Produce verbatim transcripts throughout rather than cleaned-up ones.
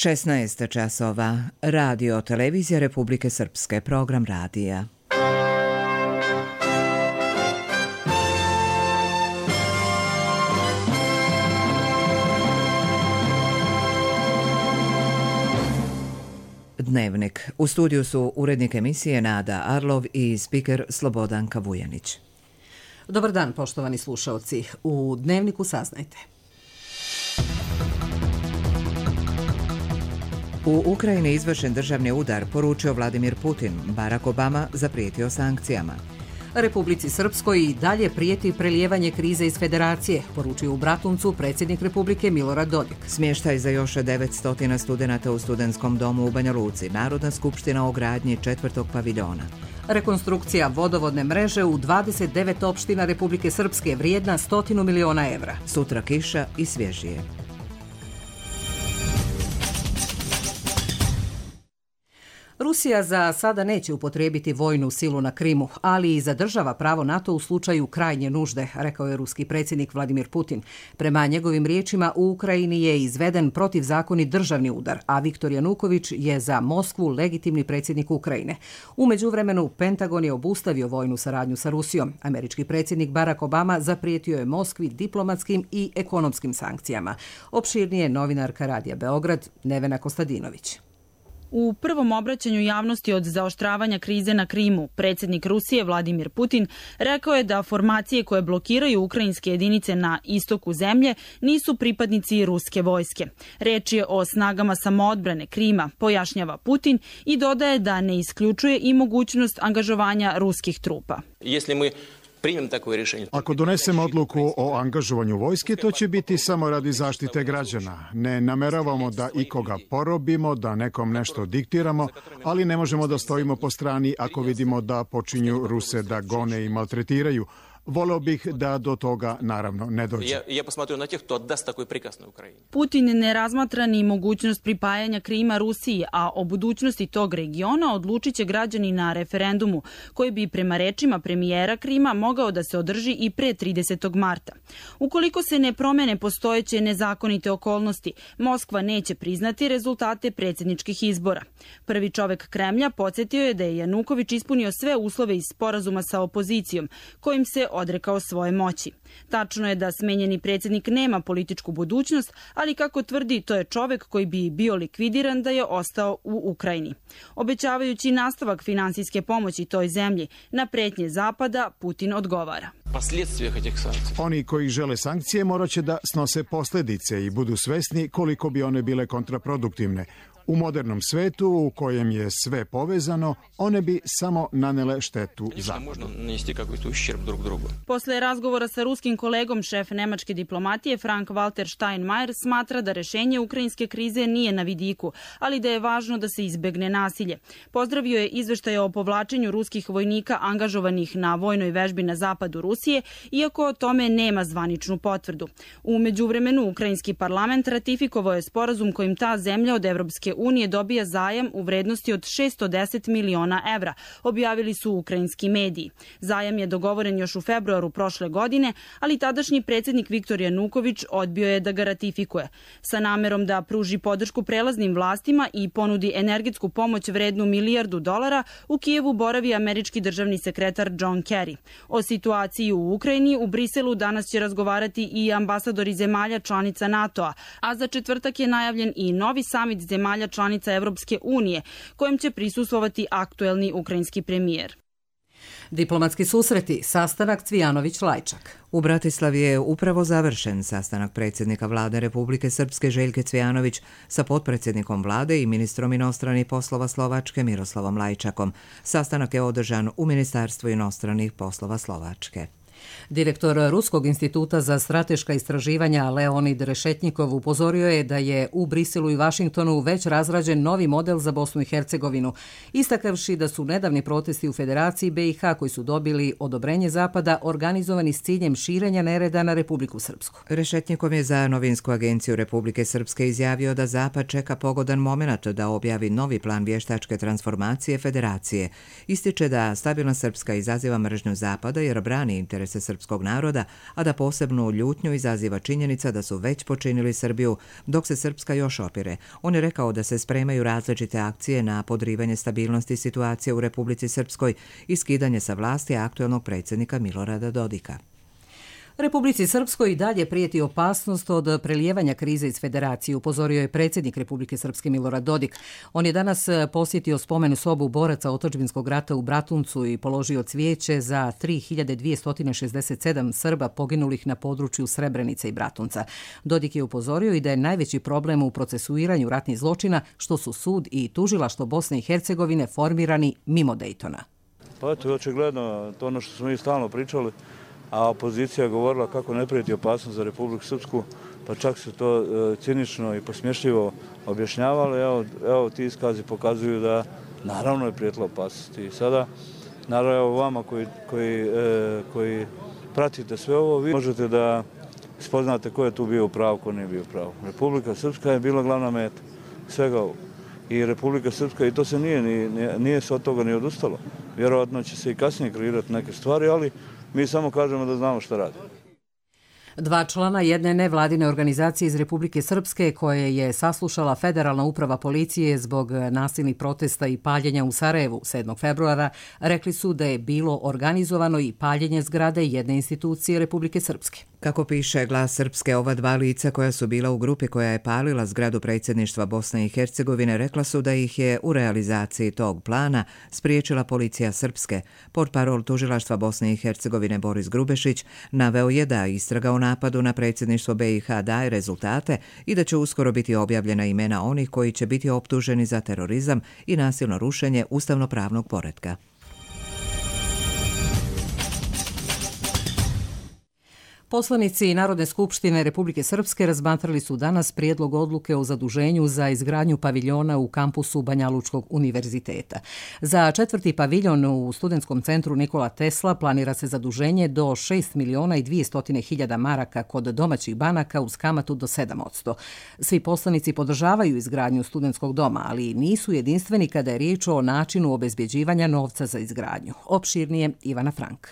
šesnaest časova. Radio Televizija Republike Srpske. Program radija. Dnevnik. U studiju su urednik emisije Nada Arlov i spiker Slobodanka Vujanić. Dobar dan, poštovani slušaoci. U Dnevniku saznajte. U Ukrajini izvršen državni udar, poručio Vladimir Putin. Barack Obama zaprijetio sankcijama. Republici Srpskoj i dalje prijeti prelijevanje krize iz federacije, poručio u Bratuncu predsjednik Republike Milorad Dodik. Smještaj za još devetsto studenata u studentskom domu u Banja Luci. Narodna skupština o gradnji četvrtog paviljona. Rekonstrukcija vodovodne mreže u dvadeset devet opština Republike Srpske vrijedna stotinu miliona evra. Sutra kiša i svježije. Rusija za sada neće upotrijebiti vojnu silu na Krimu, ali i zadržava pravo NATO u slučaju krajnje nužde, rekao je ruski predsjednik Vladimir Putin. Prema njegovim riječima, u Ukrajini je izveden protivzakonit državni udar, a Viktor Januković je za Moskvu legitimni predsjednik Ukrajine. U međuvremenu, Pentagon je obustavio vojnu saradnju sa Rusijom. Američki predsjednik Barack Obama zaprijetio je Moskvi diplomatskim i ekonomskim sankcijama. Opširnije novinarka Radija Beograd, Nevena Kostadinović. U prvom obraćanju javnosti od zaoštravanja krize na Krimu, predsjednik Rusije Vladimir Putin rekao je da formacije koje blokiraju ukrajinske jedinice na istoku zemlje nisu pripadnici ruske vojske. Reč je o snagama samoodbrane Krima, pojašnjava Putin i dodaje da ne isključuje i mogućnost angažovanja ruskih trupa. Ako donesemo odluku o angažovanju vojske, to će biti samo radi zaštite građana. Ne nameravamo da ikoga porobimo, da nekom nešto diktiramo, ali ne možemo da stojimo po strani ako vidimo da počinju Ruse da gone i maltretiraju. Voleo bih da do toga naravno ne dođe. Putin ne razmatra ni mogućnost pripajanja Krima Rusiji, a o budućnosti tog regiona odlučit će građani na referendumu, koji bi prema rečima premijera Krima mogao da se održi i pre tridesetog marta. Ukoliko se ne promene postojeće nezakonite okolnosti, Moskva neće priznati rezultate predsjedničkih izbora. Prvi čovek Kremlja podsjetio je da je Januković ispunio sve uslove iz sporazuma sa opozicijom, kojim se odrekao svoje moći. Tačno je da smenjeni predsjednik nema političku budućnost, ali kako tvrdi, to je čovek koji bi bio likvidiran da je ostao u Ukrajini. Obećavajući nastavak finansijske pomoći toj zemlji, na pretnje Zapada Putin odgovara. Oni koji žele sankcije morat će da snose posljedice i budu svesni koliko bi one bile kontraproduktivne. U modernom svetu u kojem je sve povezano, one bi samo nanele štetu Zapadu. Posle razgovora sa ruskim kolegom, šef nemačke diplomatije Frank-Walter Steinmeier smatra da rešenje ukrajinske krize nije na vidiku, ali da je važno da se izbegne nasilje. Pozdravio je izveštaje o povlačenju ruskih vojnika angažovanih na vojnoj vežbi na zapadu Rusije, iako o tome nema zvaničnu potvrdu. U međuvremenu, ukrajinski parlament ratifikovao je sporazum kojim ta zemlja od Evropske unije dobija zajam u vrednosti od šessto deset miliona evra, objavili su ukrajinski mediji. Zajam je dogovoren još u februaru prošle godine, ali tadašnji predsjednik Viktor Januković odbio je da ga ratifikuje. Sa namerom da pruži podršku prelaznim vlastima i ponudi energetsku pomoć vrednu milijardu dolara, u Kijevu boravi američki državni sekretar John Kerry. O situaciji u Ukrajini u Briselu danas će razgovarati i ambasadori zemalja članica NATO-a, a za četvrtak je najavljen i novi samit zemalja članica Evropske unije, kojem će prisustvovati aktuelni ukrajinski premijer. Diplomatski susreti, sastanak Cvijanović-Lajčak. U Bratislavi je upravo završen sastanak predsjednika vlade Republike Srpske Željke Cvijanović sa potpredsjednikom vlade i ministrom inostranih poslova Slovačke Miroslavom Lajčakom. Sastanak je održan u Ministarstvu inostranih poslova Slovačke. Direktor Ruskog instituta za strateška istraživanja Leonid Rešetnjikov upozorio je da je u Briselu i Vašingtonu već razrađen novi model za Bosnu i Hercegovinu, istakavši da su nedavni protesti u Federaciji B i H koji su dobili odobrenje Zapada organizovani s ciljem širenja nereda na Republiku Srpsku. Rešetnjikov je za novinsku agenciju Republike Srpske izjavio da Zapad čeka pogodan moment da objavi novi plan vještačke transformacije Federacije. Ističe da stabilna Srpska izaziva mržnju Zapada jer brani interes interese srpskog naroda, a da posebnu ljutnju izaziva činjenica da su već počinili Srbiju, dok se Srpska još opire. On je rekao da se spremaju različite akcije na podrivanje stabilnosti situacije u Republici Srpskoj i skidanje sa vlasti aktuelnog predsjednika Milorada Dodika. Republici Srpskoj i dalje prijeti opasnost od prelijevanja krize iz federacije, upozorio je predsjednik Republike Srpske Milorad Dodik. On je danas posjetio spomenu sobu boraca otadžbinskog rata u Bratuncu i položio cvijeće za tri hiljade dvjesto šezdeset sedam Srba poginulih na području Srebrenice i Bratunca. Dodik je upozorio i da je najveći problem u procesuiranju ratnih zločina što su sud i tužilaštvo Bosne i Hercegovine formirani mimo Dejtona. Pa to je očigledno to ono što smo mi stalno pričali, a opozicija je govorila kako ne prijeti opasnost za Republiku Srpsku, pa čak se to e, cinično i posmješljivo objašnjavalo. Evo, evo ti iskazi pokazuju da naravno je prijetila opasnost. I sada, naravno, evo vama koji, koji, e, koji pratite sve ovo, vi možete da spoznate ko je tu bio u pravu, ko nije bio u pravu. Republika Srpska je bila glavna meta svega ovog. I Republika Srpska, i to se nije, nije, nije se od toga ni odustalo. Vjerojatno će se i kasnije kreirati neke stvari, ali mi samo kažemo da znamo šta radi. Dva člana jedne nevladine organizacije iz Republike Srpske koje je saslušala Federalna uprava policije zbog nasilnih protesta i paljenja u Sarajevu sedmog februara rekli su da je bilo organizovano i paljenje zgrade jedne institucije Republike Srpske. Kako piše Glas Srpske, ova dva lica koja su bila u grupi koja je palila zgradu predsjedništva Bosne i Hercegovine rekla su da ih je u realizaciji tog plana spriječila policija Srpske. Portparol tužilaštva Bosne i Hercegovine Boris Grubešić naveo je da istraga o napadu na predsjedništvo B i H daje rezultate i da će uskoro biti objavljena imena onih koji će biti optuženi za terorizam i nasilno rušenje ustavno-pravnog poretka. Poslanici Narodne skupštine Republike Srpske razmatrali su danas prijedlog odluke o zaduženju za izgradnju paviljona u kampusu Banjalučkog univerziteta. Za četvrti paviljon u studentskom centru Nikola Tesla planira se zaduženje do šest miliona i dvjesto hiljada maraka kod domaćih banaka uz kamatu do sedam posto. Svi poslanici podržavaju izgradnju studentskog doma, ali nisu jedinstveni kada je riječ o načinu obezbjeđivanja novca za izgradnju. Opširnije Ivana Frank.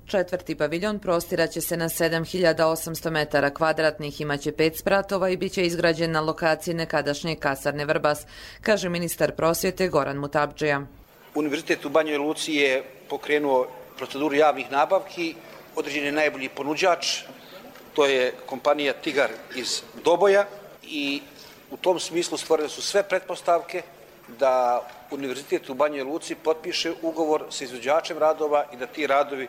Četvrti paviljon prostiraće se na sedam hiljada osamsto metara kvadratnih, imaće pet spratova i bit će izgrađen na lokaciji nekadašnje kasarne Vrbas, kaže ministar prosvjete Goran Mutabdžija. Univerzitet u Banjoj Luci je pokrenuo proceduru javnih nabavki, određen je najbolji ponuđač, to je kompanija Tigar iz Doboja i u tom smislu stvorene su sve pretpostavke da Univerzitet u Banjoj Luci potpiše ugovor sa izvođačem radova i da ti radovi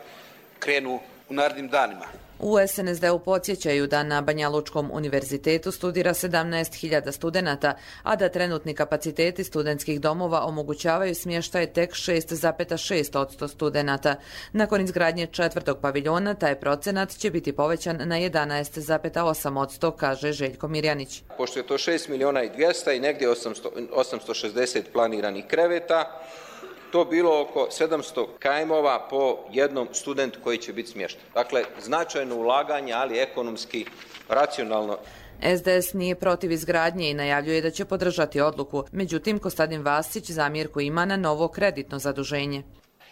krenu u narednim danima. U S N S D-u podsjećaju da na Banjalučkom univerzitetu studira sedamnaest hiljada studenata, a da trenutni kapaciteti studentskih domova omogućavaju smještaj tek šest zarez šest posto studenata. Nakon izgradnje četvrtog paviljona, taj procenat će biti povećan na jedanaest zarez osam posto, kaže Željko Mirjanić. Pošto je to šest miliona i dvjesto i negdje osamsto šezdeset planiranih kreveta, to bilo oko sedamsto kajmova po jednom studentu koji će biti smješten. Dakle, značajno ulaganje, ali ekonomski racionalno. S D S nije protiv izgradnje i najavljuje da će podržati odluku. Međutim, Kostadin Vasić zamjerku ima na novo kreditno zaduženje.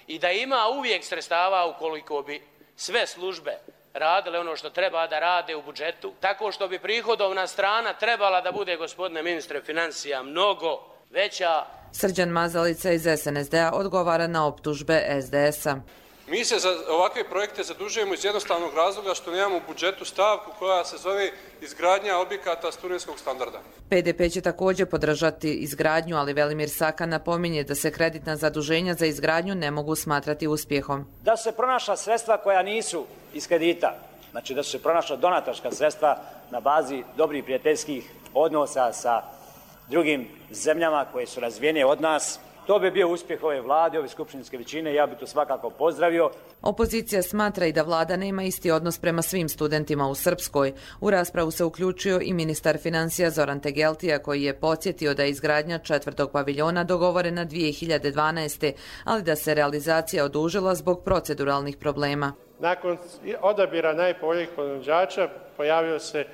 I da ima uvijek sredstava ukoliko bi sve službe radile ono što treba da rade u budžetu, tako što bi prihodovna strana trebala da bude, gospodine ministre financija, mnogo veća. Srđan Mazalica iz S N S D-a odgovara na optužbe S D S-a. Mi se za ovakve projekte zadužujemo iz jednostavnog razloga što nemamo u budžetu stavku koja se zove izgradnja objekata studentskog standarda. P D P će također podržati izgradnju, ali Velimir Saka napominje da se kreditna zaduženja za izgradnju ne mogu smatrati uspjehom. Da su se pronašla sredstva koja nisu iz kredita, znači da su se pronašla donatorska sredstva na bazi dobrih prijateljskih odnosa sa drugim zemljama koje su razvijene od nas, to bi bio uspjeh ove vlade, ove skupštinske većine i ja bih to svakako pozdravio. Opozicija smatra i da vlada nema isti odnos prema svim studentima u Srpskoj. U raspravu se uključio i ministar financija Zoran Tegeltija koji je podsjetio da je izgradnja četvrtog paviljona dogovorena dvije hiljade dvanaeste. ali da se realizacija odužila zbog proceduralnih problema. Nakon odabira najpovoljnijih ponuđača pojavio se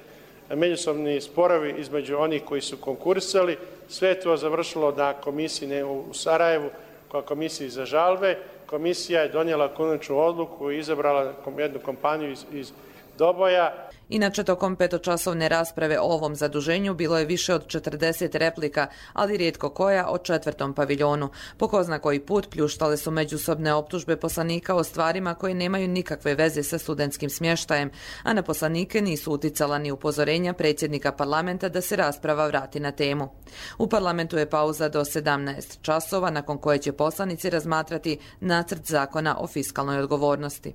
međusobni sporovi između onih koji su konkursali. Sve je to završilo na komisiji u Sarajevu, koja komisiji za žalbe, komisija je donijela konačnu odluku i izabrala jednu kompaniju iz, iz Doboja. Inače, tokom petočasovne rasprave o ovom zaduženju bilo je više od četrdeset replika, ali rijetko koja o četvrtom paviljonu. Po ko zna koji put pljuštale su međusobne optužbe poslanika o stvarima koje nemaju nikakve veze sa studentskim smještajem, a na poslanike nisu uticala ni upozorenja predsjednika parlamenta da se rasprava vrati na temu. U parlamentu je pauza do sedamnaest časova, nakon koje će poslanici razmatrati nacrt zakona o fiskalnoj odgovornosti.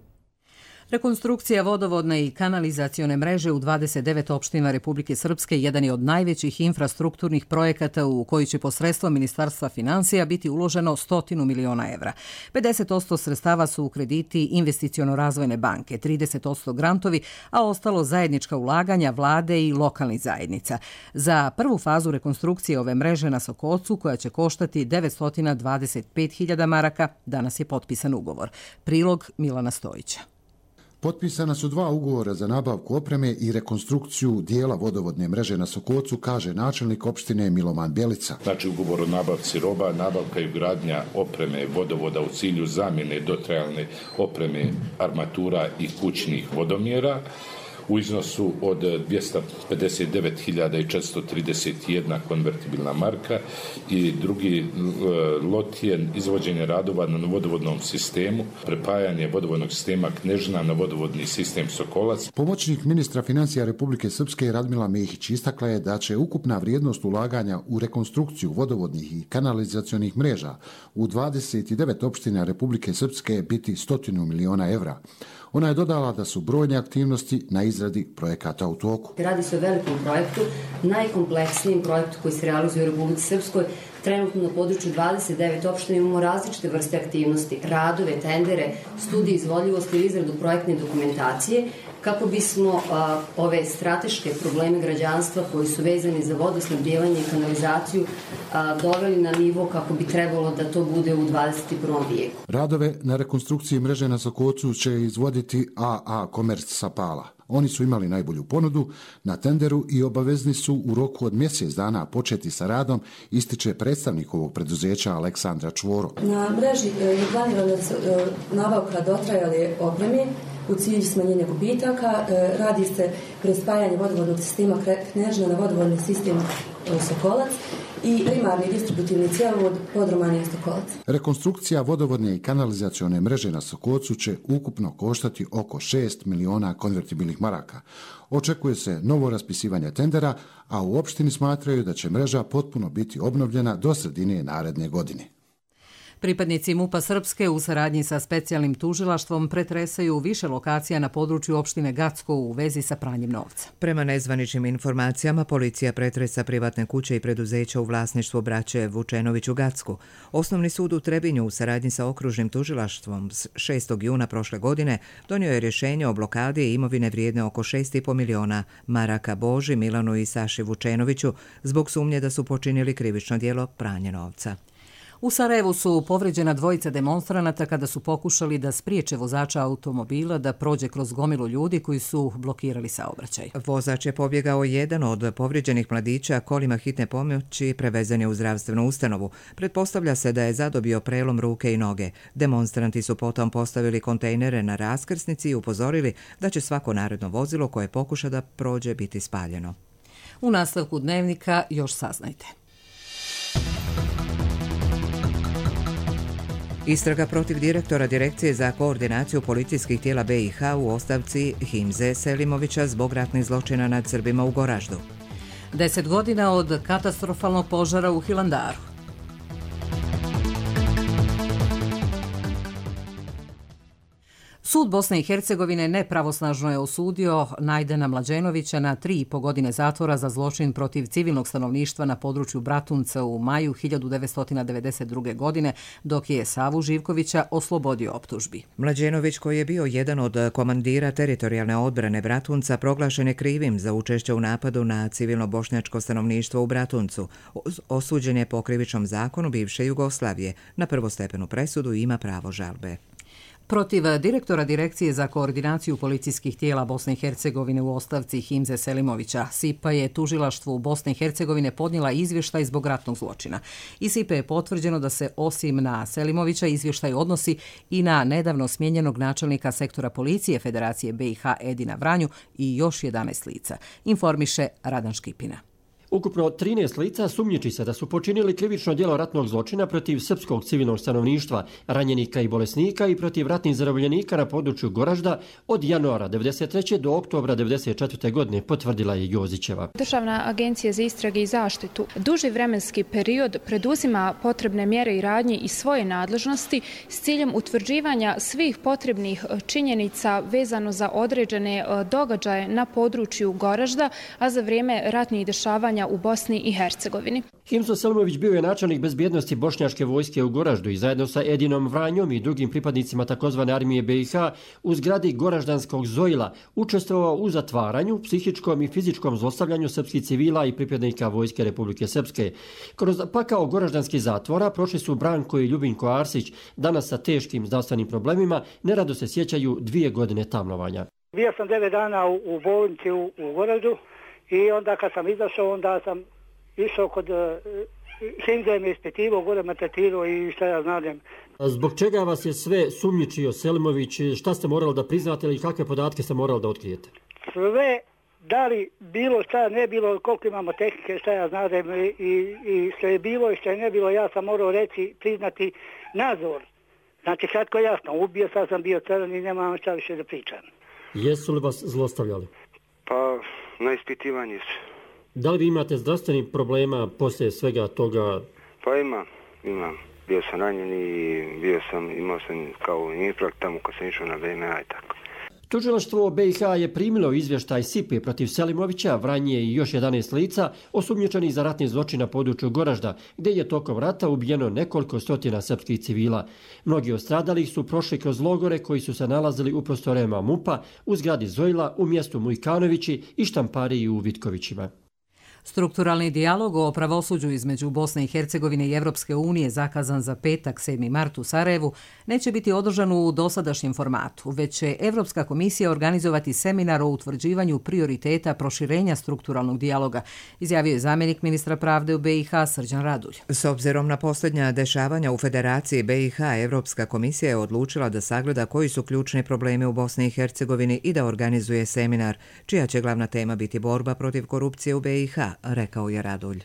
Rekonstrukcija vodovodne i kanalizacione mreže u dvadeset devet opština Republike Srpske jedan je od najvećih infrastrukturnih projekata u koji će posredstvom Ministarstva financija biti uloženo stotinu miliona evra. pedeset posto sredstava su u krediti investiciono-razvojne banke, trideset posto grantovi, a ostalo zajednička ulaganja vlade i lokalnih zajednica. Za prvu fazu rekonstrukcije ove mreže na Sokocu, koja će koštati devetsto dvadeset pet hiljada maraka, danas je potpisan ugovor. Prilog Milana Stojića. Potpisana su dva ugovora za nabavku opreme i rekonstrukciju dijela vodovodne mreže na Sokocu, kaže načelnik opštine Miloman Bjelica. Znači ugovor o nabavci roba, nabavka i ugradnja opreme vodovoda u cilju zamjene dotrajalne opreme armatura i kućnih vodomjera u iznosu od dvjesto pedeset devet hiljada četiristo trideset jedna konvertibilna marka i drugi lot je izvođenje radova na vodovodnom sistemu, prepajanje vodovodnog sistema Knežina na vodovodni sistem Sokolac. Pomoćnik ministra financija Republike Srpske Radmila Mehić istakla je da će ukupna vrijednost ulaganja u rekonstrukciju vodovodnih i kanalizacionih mreža u dvadeset devet opština Republike Srpske biti stotinu miliona evra. Ona je dodala da su brojne aktivnosti na izradi projekata u toku. Radi se o velikom projektu, najkompleksnijem projektu koji se realizuje u Republici Srpskoj. Trenutno na području dvadeset devet opština imamo različite vrste aktivnosti, radove, tendere, studije izvodljivosti i izradu projektne dokumentacije, kako bismo a, ove strateške probleme građanstva koji su vezani za vodosnabdijevanje i kanalizaciju a, doveli na nivo kako bi trebalo da to bude u dvadeset prvom vijeku. Radove na rekonstrukciji mreže na Sokocu će izvoditi A A Komerc Sapala. Oni su imali najbolju ponudu na tenderu i obavezni su u roku od mjesec dana početi sa radom, ističe predstavnik ovog preduzeća Aleksandra Čvoro. Na mreži je planirana nabavka dotrajale opreme u cilju smanjenja gubitaka. Radi se prespajanje vodovodnog sistema Knežina na vodovodni sistem Sokolac i primarni distributivni cjevovod Podromanja Sokolac. Rekonstrukcija vodovodne i kanalizacione mreže na Sokocu će ukupno koštati oko šest miliona konvertibilnih maraka. Očekuje se novo raspisivanje tendera, a u opštini smatraju da će mreža potpuno biti obnovljena do sredine naredne godine. Pripadnici MUP-a Srpske u saradnji sa specijalnim tužilaštvom pretresaju više lokacija na području opštine Gacko u vezi sa pranjem novca. Prema nezvaničnim informacijama, policija pretresa privatne kuće i preduzeća u vlasništvu braće Vučenović u Gacku. Osnovni sud u Trebinju u saradnji sa okružnim tužilaštvom šestog juna prošle godine donio je rješenje o blokadi imovine vrijedne oko šest i po miliona maraka Boži, Milanu i Saši Vučenoviću zbog sumnje da su počinili krivično djelo pranja novca. U Sarajevu su povređena dvojica demonstranata kada su pokušali da spriječe vozača automobila da prođe kroz gomilu ljudi koji su blokirali saobraćaj. Vozač je pobjegao. Jedan od povrijeđenih mladića kolima hitne pomoći prevezen je u zdravstvenu ustanovu. Pretpostavlja se da je zadobio prelom ruke i noge. Demonstranti su potom postavili kontejnere na raskrsnici i upozorili da će svako naredno vozilo koje pokuša da prođe biti spaljeno. U nastavku dnevnika još saznajte. Istraga protiv direktora Direkcije za koordinaciju policijskih tijela B i H u ostavci Himze Selimovića zbog ratnih zločina nad Srbima u Goraždu. Deset godina od katastrofalnog požara u Hilandaru. Sud Bosne i Hercegovine nepravosnažno je osudio Najdena Mlađenovića na tri i po godine zatvora za zločin protiv civilnog stanovništva na području Bratunca u maju hiljadu devetsto devedeset druge. godine, dok je Savu Živkovića oslobodio optužbi. Mlađenović, koji je bio jedan od komandira teritorijalne odbrane Bratunca, proglašen je krivim za učešće u napadu na civilno bošnjačko stanovništvo u Bratuncu. Osuđen je po krivičnom zakonu bivše Jugoslavije. Na prvostepenu presudu ima pravo žalbe. Protiv direktora Direkcije za koordinaciju policijskih tijela Bosne i Hercegovine u ostavci Himze Selimovića, S I P A je tužilaštvu Bosne i Hercegovine podnijela izvještaj zbog ratnog zločina. Iz S I P A je potvrđeno da se osim na Selimovića izvještaj odnosi i na nedavno smijenjenog načelnika sektora policije Federacije B i H Edina Vranju i još jedanaest lica, informiše Radan Škipina. Ukupno trinaest lica sumnjiči se da su počinili krivično djelo ratnog zločina protiv srpskog civilnog stanovništva, ranjenika i bolesnika i protiv ratnih zarobljenika na području Goražda od januara devedeset treće do oktobra devedeset četvrte godine, potvrdila je Jozićeva. Državna agencija za istrage i zaštitu duži vremenski period preduzima potrebne mjere i radnje iz svoje nadležnosti s ciljem utvrđivanja svih potrebnih činjenica vezano za određene događaje na području Goražda, a za vrijeme ratnih dešavanja u Bosni i Hercegovini. Himzo Selimović bio je načelnik bezbjednosti bošnjačke vojske u Goraždu i zajedno sa Edinom Vranjom i drugim pripadnicima takozvane armije B i H u zgradi Goraždanskog Zojila učestvovao u zatvaranju, psihičkom i fizičkom zlostavljanju srpskih civila i pripadnika vojske Republike Srpske. Kroz pakao goraždanskih zatvora prošli su Branko i Ljubinko Arsić, danas sa teškim zdravstvenim problemima, nerado se sjećaju dvije godine tamnovanja. Bio sam devet dana u, u bolnici u, u Goraždu. I onda kad sam izašao, onda sam išao kod uh, Himze me ispitivao, gore me tretirao i šta ja znam. Zbog čega vas je sve sumnjičio Selimović? Šta ste morali da priznate ili kakve podatke ste morali da otkrijete? Sve, da li bilo šta ne bilo, koliko imamo tehnike, šta ja znam, i, i što je bilo i što je ne bilo, ja sam morao reći, priznati nadzor. Znači, kratko jasno, ubio, sad sam bio crn i nemam šta više da pričam. Jesu li vas zlostavljali? Pa, na ispitivanju su. Da li vi imate zdravstvenih problema poslije svega toga? Pa imam, imam. Bio sam ranjen i bio sam, imao sam kao infarkt tamo kad sam išao na V M A i tako. Tužilaštvo B i H je primilo izvještaj S I P A protiv Selimovića, Vranje i još jedanaest lica osumnjičenih za ratni zločin na području Goražda, gdje je tokom rata ubijeno nekoliko stotina srpskih civila. Mnogi od stradalih su prošli kroz logore koji su se nalazili u prostorema M U P A, u zgradi Zojla, u mjestu Mujkanovići i Štampariji u Vitkovićima. Strukturalni dijalog o pravosuđu između Bosne i Hercegovine i Evropske unije, zakazan za petak sedmi mart u Sarajevu, neće biti održan u dosadašnjem formatu, već će Evropska komisija organizovati seminar o utvrđivanju prioriteta proširenja strukturalnog dijaloga, izjavio je zamjenik ministra pravde u B i H Srđan Radulj. S obzirom na posljednja dešavanja u Federaciji B i H, Evropska komisija je odlučila da sagleda koji su ključni problemi u Bosni i Hercegovini i da organizuje seminar, čija će glavna tema biti borba protiv korupcije u B i H, rekao je Radulj.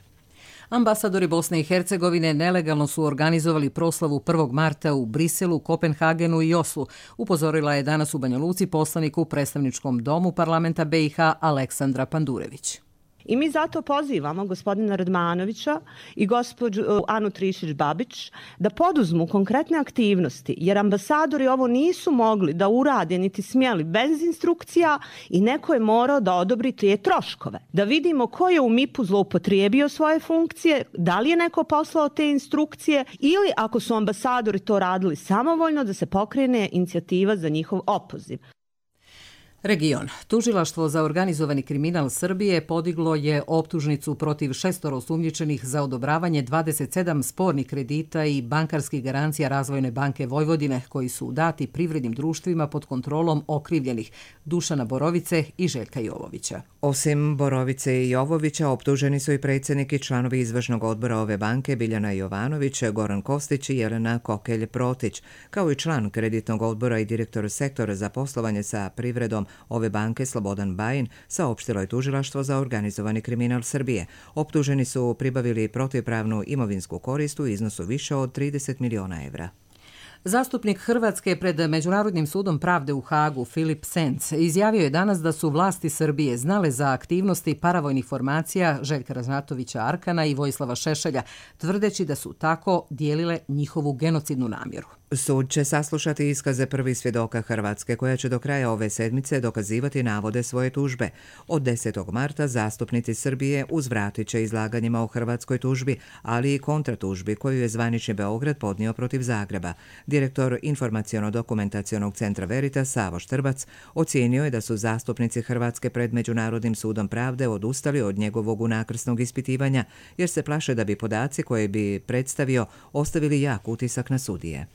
Ambasadori Bosne i Hercegovine nelegalno su organizovali proslavu prvog marta u Briselu, Kopenhagenu i Oslu, upozorila je danas u Banja Luci poslanik u predstavničkom domu parlamenta B i H Aleksandra Pandurević. I mi zato pozivamo gospodina Radmanovića i gospođu Anu Trišić-Babić da poduzmu konkretne aktivnosti, jer ambasadori ovo nisu mogli da urade niti smjeli bez instrukcija i neko je morao da odobri te troškove. Da vidimo ko je u M I P-u zloupotrijebio svoje funkcije, da li je neko poslao te instrukcije ili ako su ambasadori to radili samovoljno da se pokrene inicijativa za njihov opoziv. Region. Tužilaštvo za organizovani kriminal Srbije podiglo je optužnicu protiv šestoro osumnjičenih za odobravanje dvadeset sedam spornih kredita i bankarskih garancija Razvojne banke Vojvodine koji su dati privrednim društvima pod kontrolom okrivljenih Dušana Borovice i Željka Jovovića. Osim Borovice i Jovovića, optuženi su i predsjednik i članovi izvršnog odbora ove banke Biljana Jovanović, Goran Kostić i Jelena Kokelj-Protić, kao i član kreditnog odbora i direktor sektora za poslovanje sa privredom ove banke Slobodan Bajin, saopštilo je tužilaštvo za organizovani kriminal Srbije. Optuženi su pribavili protivpravnu imovinsku korist u iznosu više od trideset miliona evra. Zastupnik Hrvatske pred Međunarodnim sudom pravde u Hagu, Filip Senc, izjavio je danas da su vlasti Srbije znale za aktivnosti paravojnih formacija Željka Ražnatovića Arkana i Vojislava Šešelja, tvrdeći da su tako dijelile njihovu genocidnu namjeru. Sud će saslušati iskaze prvih svjedoka Hrvatske, koja će do kraja ove sedmice dokazivati navode svoje tužbe. Od desetog marta zastupnici Srbije uzvratit će izlaganjima o hrvatskoj tužbi, ali i kontratužbi koju je zvanični Beograd podnio protiv Zagreba. Direktor Informaciono-dokumentacionog centra Veritas Savo Štrbac ocijenio je da su zastupnici Hrvatske pred Međunarodnim sudom pravde odustali od njegovog unakrsnog ispitivanja, jer se plaše da bi podaci koje bi predstavio ostavili jak utisak na sudije.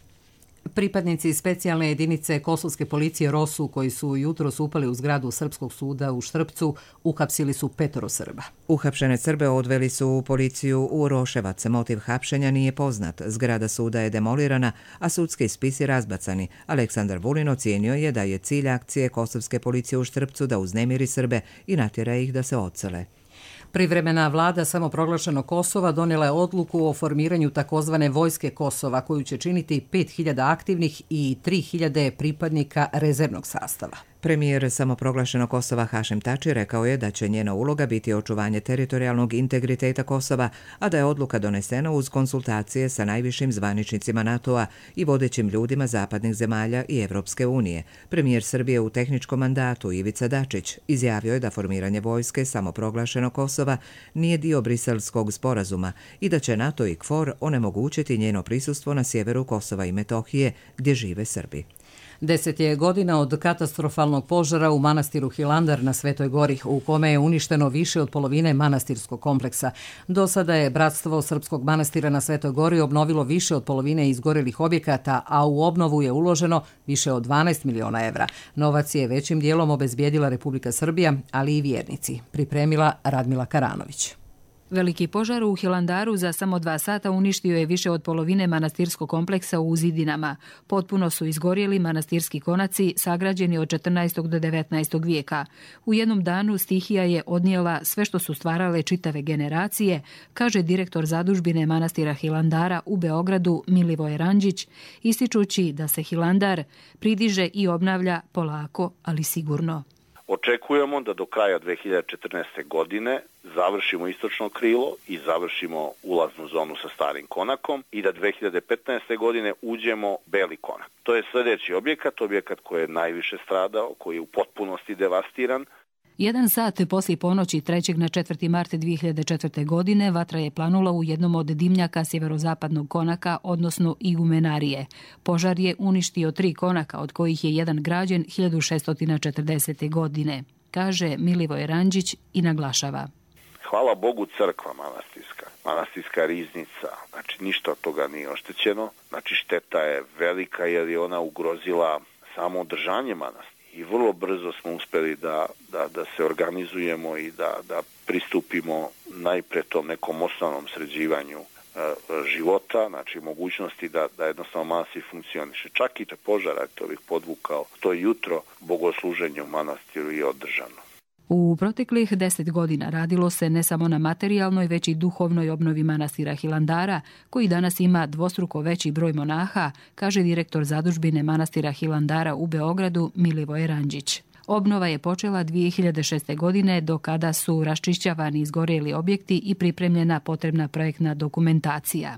Pripadnici specijalne jedinice kosovske policije Rosu, koji su jutros upali u zgradu Srpskog suda u Štrpcu, uhapsili su petoro Srba. Uhapšene Srbe odveli su u policiju u Roševac. Motiv hapšenja nije poznat. Zgrada suda je demolirana, a sudski spisi razbacani. Aleksandar Vulin ocijenio je da je cilj akcije kosovske policije u Štrpcu da uznemiri Srbe i natjera ih da se odsele. Privremena vlada samoproglašenog Kosova donijela je odluku o formiranju takozvane vojske Kosova, koju će činiti pet hiljada aktivnih i tri hiljade pripadnika rezervnog sastava. Premijer samoproglašenog Kosova Hašim Tači rekao je da će njena uloga biti očuvanje teritorijalnog integriteta Kosova, a da je odluka donesena uz konsultacije sa najvišim zvaničnicima NATO-a i vodećim ljudima zapadnih zemalja i Evropske unije. Premijer Srbije u tehničkom mandatu Ivica Dačić izjavio je da formiranje vojske samoproglašenog Kosova nije dio briselskog sporazuma i da će NATO i KFOR onemogućiti njeno prisustvo na sjeveru Kosova i Metohije gdje žive Srbi. Deset je godina od katastrofalnog požara u manastiru Hilandar na Svetoj Gori, u kome je uništeno više od polovine manastirskog kompleksa. Do sada je Bratstvo Srpskog manastira na Svetoj Gori obnovilo više od polovine izgorelih objekata, a u obnovu je uloženo više od dvanaest miliona evra. Novac je većim dijelom obezbijedila Republika Srbija, ali i vjernici. Pripremila Radmila Karanović. Veliki požar u Hilandaru za samo dva sata uništio je više od polovine manastirskog kompleksa u zidinama. Potpuno su izgorjeli manastirski konaci sagrađeni od četrnaestog do devetnaestog vijeka. U jednom danu stihija je odnijela sve što su stvarale čitave generacije, kaže direktor zadužbine manastira Hilandara u Beogradu Milivoje Ranđić, ističući da se Hilandar pridiže i obnavlja polako, ali sigurno. Očekujemo da do kraja dve hiljade četrnaeste. godine završimo istočno krilo i završimo ulaznu zonu sa starim konakom i da dve hiljade petnaeste. godine uđemo beli konak. To je sljedeći objekat, objekat koji je najviše stradao, koji je u potpunosti devastiran. Jedan sat poslije ponoći trećeg na četvrti mart dvije hiljade četvrte. godine vatra je planula u jednom od dimnjaka sjeverozapadnog konaka, odnosno igumenarije. Požar je uništio tri konaka, od kojih je jedan građen hiljadu šeststo četrdesete. godine, kaže Milivoj Ranđić i naglašava. Hvala Bogu crkva manastirska, manastirska riznica, znači ništa od toga nije oštećeno, znači šteta je velika jer je ona ugrozila samo održanje manastira. I vrlo brzo smo uspjeli da, da, da se organizujemo i da, da pristupimo najpre tom nekom osnovnom sređivanju e, života, znači mogućnosti da, da jednostavno manastir funkcioniše. Čak i te požara, to bih podvukao, to jutro bogosluženje u manastiru je održano. U proteklih deset godina radilo se ne samo na materijalnoj, već i duhovnoj obnovi manastira Hilandara, koji danas ima dvostruko veći broj monaha, kaže direktor zadužbine manastira Hilandara u Beogradu Milivoje Ranđić. Obnova je počela dvije hiljade šeste. godine, do kada su raščišćavani izgorjeli objekti i pripremljena potrebna projektna dokumentacija.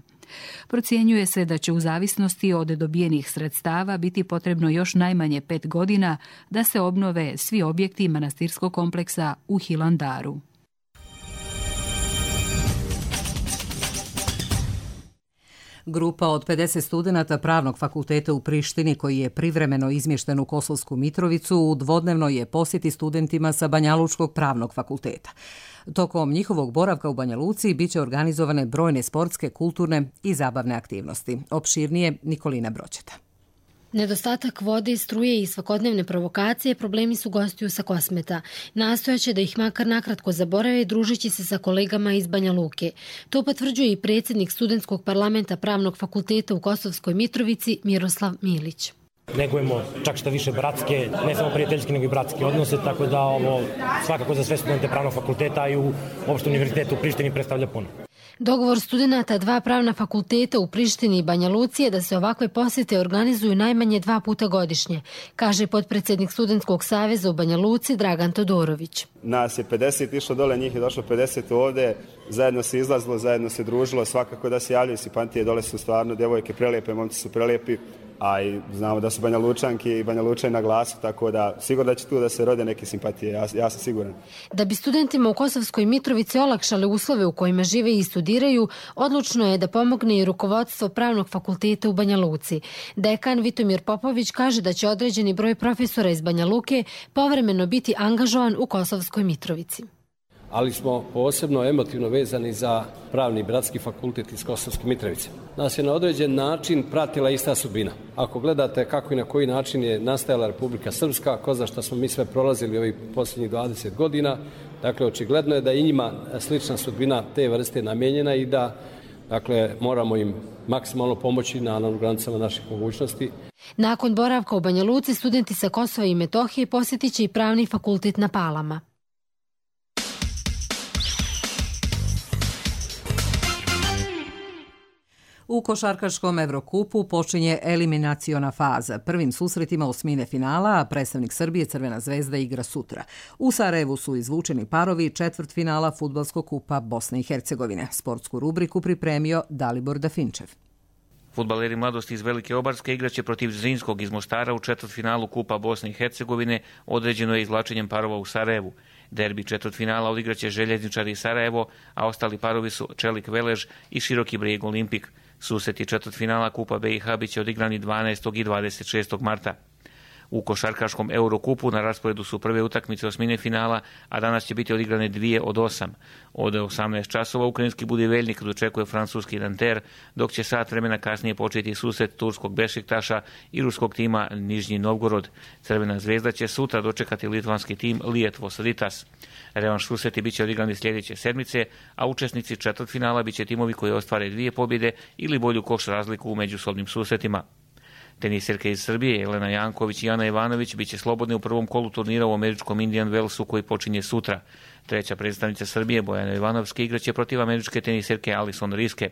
Procjenjuje se da će u zavisnosti od dobijenih sredstava biti potrebno još najmanje pet godina da se obnove svi objekti manastirskog kompleksa u Hilandaru. Grupa od pedeset studenata Pravnog fakulteta u Prištini, koji je privremeno izmješten u Kosovsku Mitrovicu, u dvodnevnoj je posjeti studentima sa Banjalučkog pravnog fakulteta. Tokom njihovog boravka u Banja Luci biće organizovane brojne sportske, kulturne i zabavne aktivnosti. Opširnije Nikolina Broćeta. Nedostatak vode, struje i svakodnevne provokacije problemi su gostiju sa Kosmeta. Nastojaće da ih makar nakratko zaborave družeći se sa kolegama iz Banja Luke. To potvrđuje i predsjednik studentskog parlamenta Pravnog fakulteta u Kosovskoj Mitrovici Miroslav Milić. Negujemo čak što više bratske, ne samo prijateljske, nego i bratske odnose, tako da ovo svakako za sve studente Pravnog fakulteta i u opštem univerzitetu u Prištini predstavlja puno. Dogovor studenta dva pravna fakulteta u Prištini i Banja Luci je da se ovakve posjete organizuju najmanje dva puta godišnje, kaže potpredsjednik Studentskog saveza u Banja Luci Dragan Todorović. Nas je pedeset išlo dole, njih je došlo pedeset ovde, zajedno se izlazilo, zajedno se družilo, svakako da se javljaju simpatije, dole su stvarno djevojke prelijepe, momci su prelijepi, a i znamo da su Banja Lučanki i Banja Lučani na glasu, tako da sigurno da će tu da se rode neke simpatije, ja, ja sam siguran. Da bi studentima u Kosovskoj Mitrovici olakšale uslove u kojima žive i studiraju, odlučno je da pomogne i rukovodstvo Pravnog fakulteta u Banja Luci. Dekan Vitomir Popović kaže da će određeni broj profesora iz Banja Luke povremeno biti angažovan u Kosovskoj Mitrovici. ali smo posebno emotivno vezani za Pravni bratski fakultet iz Kosovske Mitrovice. Nas je na određen način pratila ista sudbina. Ako gledate kako i na koji način je nastajala Republika Srpska, ko zna šta smo mi sve prolazili ovih posljednjih dvadeset godina, dakle očigledno je da i njima slična sudbina te vrste namijenjena i da dakle moramo im maksimalno pomoći na granicama naših mogućnosti. Nakon boravka u Banja Luci, studenti sa Kosova i Metohije posjetit će i Pravni fakultet na Palama. U košarkaškom Evrokupu počinje eliminaciona faza. Prvim susretima osmine finala, a predstavnik Srbije Crvena zvezda igra sutra. U Sarajevu su izvučeni parovi četvrtfinala Fudbalskog kupa Bosne i Hercegovine. Sportsku rubriku pripremio Dalibor Dafinčev. Fudbaleri mladosti iz Velike Obarske igraće protiv Zrinskog iz Mostara u četvrtfinalu Kupa Bosne i Hercegovine, određeno je izvlačenjem parova u Sarajevu. Derbi četvrtfinala odigraće Željezničari iz Sarajevo, a ostali parovi su Čelik Velež i Široki Brijeg Olimpik. Susreti četvrtfinala Kupa B i H biće odigrani dvanaestog i dvadeset šestog marta. U košarkaškom Eurokupu na rasporedu su prve utakmice osmine finala, a danas će biti odigrane dvije od osam. Od osamnaest časova ukrajinski Budiveljnik dočekuje francuski Nanter, dok će sat vremena kasnije početi susret turskog Bešiktaša i ruskog tima Nižnji Novgorod. Crvena zvezda će sutra dočekati litvanski tim Lietuvos Rytas. Revanš susreti biće odigrani sljedeće sedmice, a učesnici četvrtfinala biće timovi koji ostvare dvije pobjede ili bolju koš razliku u međusobnim susretima. Tenisirke iz Srbije, Jelena Janković i Ana Ivanović, bit će slobodne u prvom kolu turnira u američkom Indian Wellsu koji počinje sutra. Treća predstavnica Srbije, Bojana Ivanovska, igraće protiv američke tenisirke Alison Riske.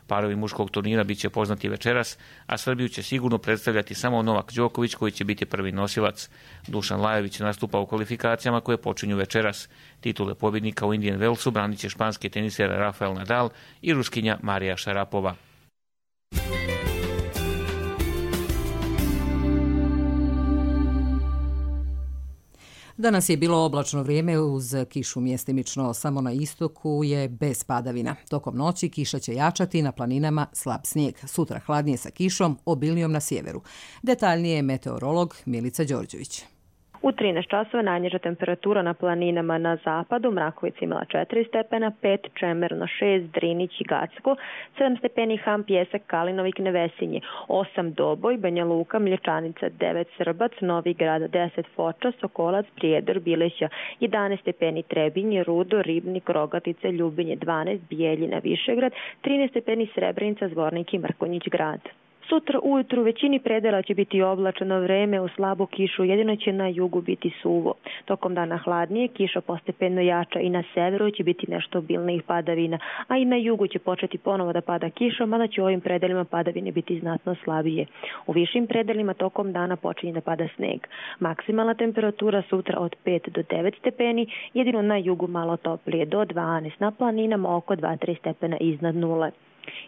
Parovi muškog turnira bit će poznati večeras, a Srbiju će sigurno predstavljati samo Novak Đoković koji će biti prvi nosilac. Dušan Lajović nastupa u kvalifikacijama koje počinju večeras. Titule pobjednika u Indian Wellsu branit će španski teniser Rafael Nadal i Ruskinja Marija Šarapova. Danas je bilo oblačno vrijeme uz kišu mjestimično, samo na istoku je bez padavina. Tokom noći kiša će jačati, na planinama slab snijeg. Sutra hladnije sa kišom, obilnijom na sjeveru. Detaljnije je meteorolog Milica Đorđević. U trinaest časova najniža temperatura na planinama na zapadu, Mrakovica imala četiri stepena, pet Čemerno, šest Drinić i Gacko, sedam stepeni Ham, Pjesak, Kalinovik, Nevesinje, osam Doboj, Banja Luka, Mlječanica, devet Srbac, Novi Grad, deset Foča, Sokolac, Prijedor, Bileća, jedanaest stepeni Trebinje, Rudo, Ribnik, Rogatica, Ljubinje, dvanaest Bijeljina, Višegrad, trinaest stepeni Srebrenica, Zvornik i Mrkonjić Grad. Sutra ujutru u većini predela će biti oblačeno vreme, u slabu kišu jedino će na jugu biti suvo. Tokom dana hladnije, kiša postepeno jača i na severu će biti nešto obilnijih padavina, a i na jugu će početi ponovo da pada kiša, mada će u ovim predelima padavine biti znatno slabije. U višim predelima tokom dana počinje da pada sneg. Maksimalna temperatura sutra od pet do devet stepeni, jedino na jugu malo toplije do dvanaest, na planinama oko dva do tri stepena iznad nule.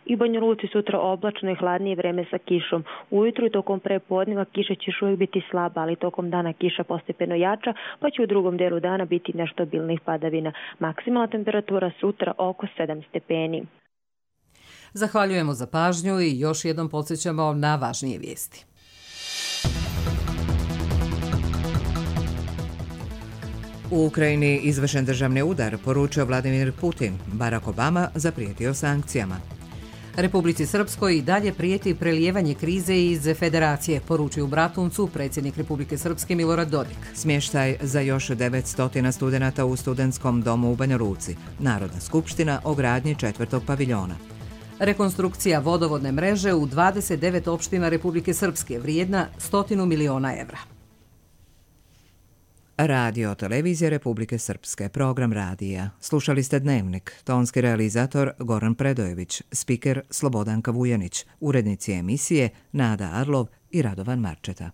I u Banja Luci sutra oblačno i hladnije vreme sa kišom. Ujutru i tokom prepodneva kiša će još uvijek biti slaba, ali tokom dana kiša postepeno jača, pa će u drugom delu dana biti nešto obilnih padavina. Maksimalna temperatura sutra oko sedam stepeni. Zahvaljujemo za pažnju i još jednom podsjećamo na važnije vijesti. U Ukrajini izvršen državni udar, poručio Vladimir Putin. Barack Obama zaprijetio sankcijama. Republici Srpskoj i dalje prijeti prelijevanje krize iz federacije, poručuju u Bratuncu predsjednik Republike Srpske Milorad Dodik. Smještaj za još devetsto studenata u studentskom domu u Banja Luci. Narodna skupština o gradnji četvrtog paviljona. Rekonstrukcija vodovodne mreže u dvadeset devet opština Republike Srpske, vrijedna stotinu miliona evra. Radio televizije Republike Srpske, program radija. Slušali ste Dnevnik, tonski realizator Goran Predojević, spiker Slobodanka Vujanić, urednici emisije Nada Arlov i Radovan Marčeta.